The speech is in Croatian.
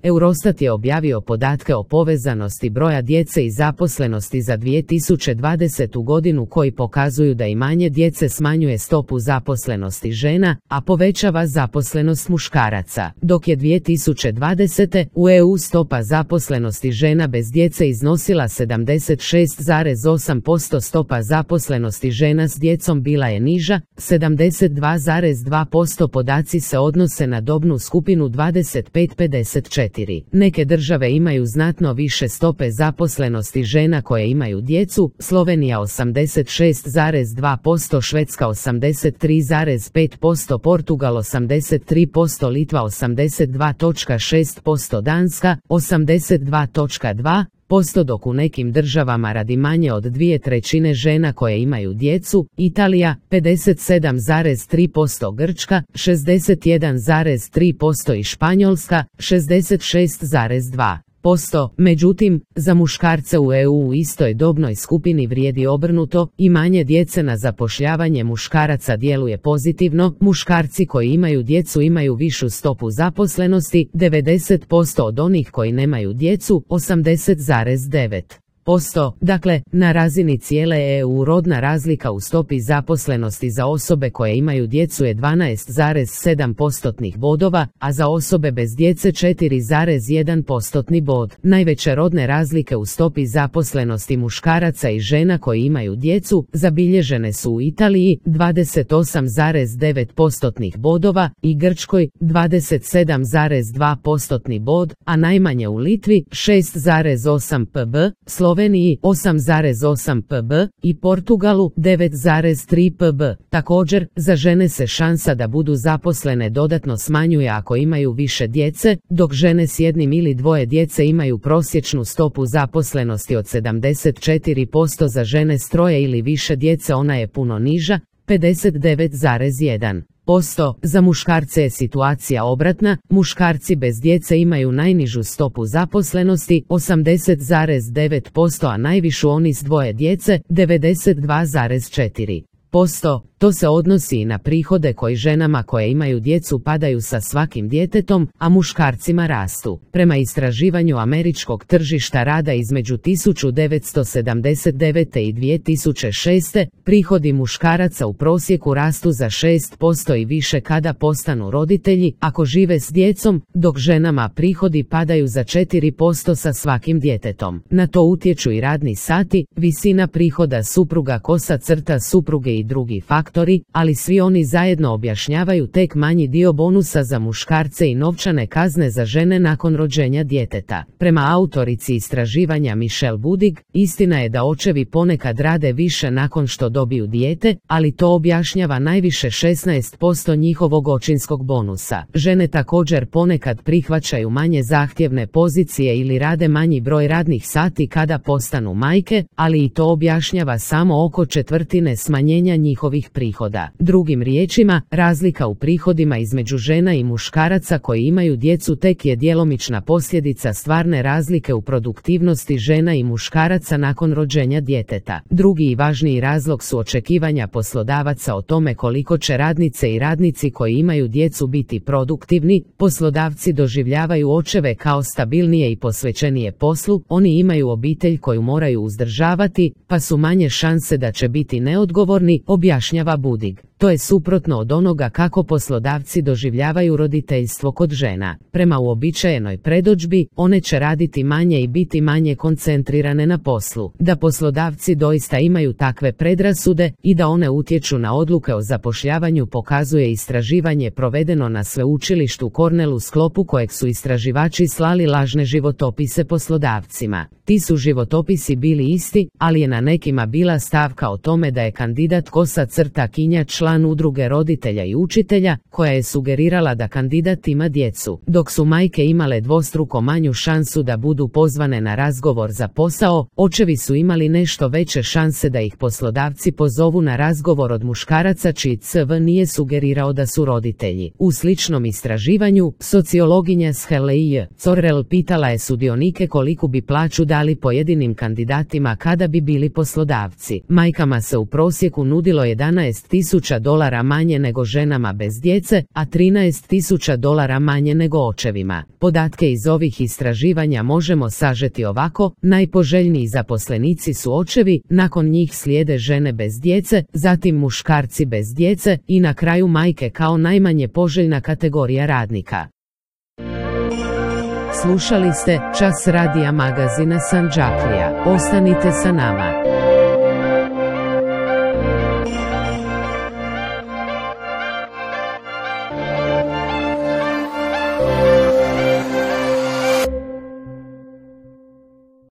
Eurostat je objavio podatke o povezanosti broja djece i zaposlenosti za 2020. godinu koji pokazuju da imanje djece smanjuje stopu zaposlenosti žena, a povećava zaposlenost muškaraca. Dok je 2020. u EU stopa zaposlenosti žena bez djece iznosila 76,8%, stopa zaposlenosti žena s djecom bila je niža, 72,2%. Podaci se odnose na dobnu skupinu 25-54. Neke države imaju znatno više stope zaposlenosti žena koje imaju djecu, Slovenija 86,2%, Švedska 83,5%, Portugal 83%, Litva 82,6%, Danska 82,2%, dok u nekim državama radi manje od 2/3 žena koje imaju djecu, Italija 57,3%, Grčka 61,3% i Španjolska 66,2%. Međutim, za muškarce u EU u istoj dobnoj skupini vrijedi obrnuto, imanje djece na zapošljavanje muškaraca djeluje pozitivno, muškarci koji imaju djecu imaju višu stopu zaposlenosti, 90% od onih koji nemaju djecu, 80,9%. Dakle, na razini cijele EU rodna razlika u stopi zaposlenosti za osobe koje imaju djecu je 12,7% bodova, a za osobe bez djece 4,1% bod. Najveće rodne razlike u stopi zaposlenosti muškaraca i žena koji imaju djecu zabilježene su u Italiji 28,9% bodova i Grčkoj 27,2% bod, a najmanje u Litvi 6,8 pb, Sloveniji 8,8 pb i Portugalu 9,3 pb. Također, za žene se šansa da budu zaposlene dodatno smanjuje ako imaju više djece, dok žene s jednim ili dvoje djece imaju prosječnu stopu zaposlenosti od 74%, za žene s troje ili više djece ona je puno niža, 59,1%. Za muškarce je situacija obratna, muškarci bez djece imaju najnižu stopu zaposlenosti, 80,9%, a najvišu oni s dvoje djece, 92,4%. To se odnosi i na prihode koji ženama koje imaju djecu padaju sa svakim djetetom, a muškarcima rastu. Prema istraživanju američkog tržišta rada između 1979. i 2006. prihodi muškaraca u prosjeku rastu za 6% i više kada postanu roditelji, ako žive s djecom, dok ženama prihodi padaju za 4% sa svakim djetetom. Na to utječu i radni sati, visina prihoda supruga, kosa crta supruge i drugi faktori, ali svi oni zajedno objašnjavaju tek manji dio bonusa za muškarce i novčane kazne za žene nakon rođenja djeteta. Prema autorici istraživanja Michelle Budig, istina je da očevi ponekad rade više nakon što dobiju dijete, ali to objašnjava najviše 16% njihovog očinskog bonusa. Žene također ponekad prihvaćaju manje zahtjevne pozicije ili rade manji broj radnih sati kada postanu majke, ali i to objašnjava samo oko četvrtine smanjenja njihovih prihoda. Drugim riječima, razlika u prihodima između žena i muškaraca koji imaju djecu tek je djelomična posljedica stvarne razlike u produktivnosti žena i muškaraca nakon rođenja djeteta. Drugi i važniji razlog su očekivanja poslodavaca o tome koliko će radnice i radnici koji imaju djecu biti produktivni. Poslodavci doživljavaju očeve kao stabilnije i posvećenije poslu, oni imaju obitelj koju moraju uzdržavati, pa su manje šanse da će biti neodgovorni, objašnjava Budig. To je suprotno od onoga kako poslodavci doživljavaju roditeljstvo kod žena. Prema uobičajenoj predodžbi, one će raditi manje i biti manje koncentrirane na poslu. Da poslodavci doista imaju takve predrasude i da one utječu na odluke o zapošljavanju pokazuje istraživanje provedeno na sveučilištu Cornell u sklopu kojeg su istraživači slali lažne životopise poslodavcima. Ti su životopisi bili isti, ali je na nekima bila stavka o tome da je kandidat kosa crta kinja član udruge roditelja i učitelja, koja je sugerirala da kandidat ima djecu, dok su majke imale dvostruko manju šansu da budu pozvane na razgovor za posao, očevi su imali nešto veće šanse da ih poslodavci pozovu na razgovor od muškaraca čiji CV nije sugerirao da su roditelji. U sličnom istraživanju, sociologinja Shelley Correll pitala je sudionike koliku bi plaću dali pojedinim kandidatima kada bi bili poslodavci. Majkama se u prosjeku nudilo 11.000 $13.000 manje nego ženama bez djece, a $13.000 manje nego očevima. Podatke iz ovih istraživanja možemo sažeti ovako: najpoželjniji zaposlenici su očevi, nakon njih slijede žene bez djece, zatim muškarci bez djece i na kraju majke kao najmanje poželjna kategorija radnika. Slušali ste Čas radija magazina Sandžaklija. Ostanite sa nama.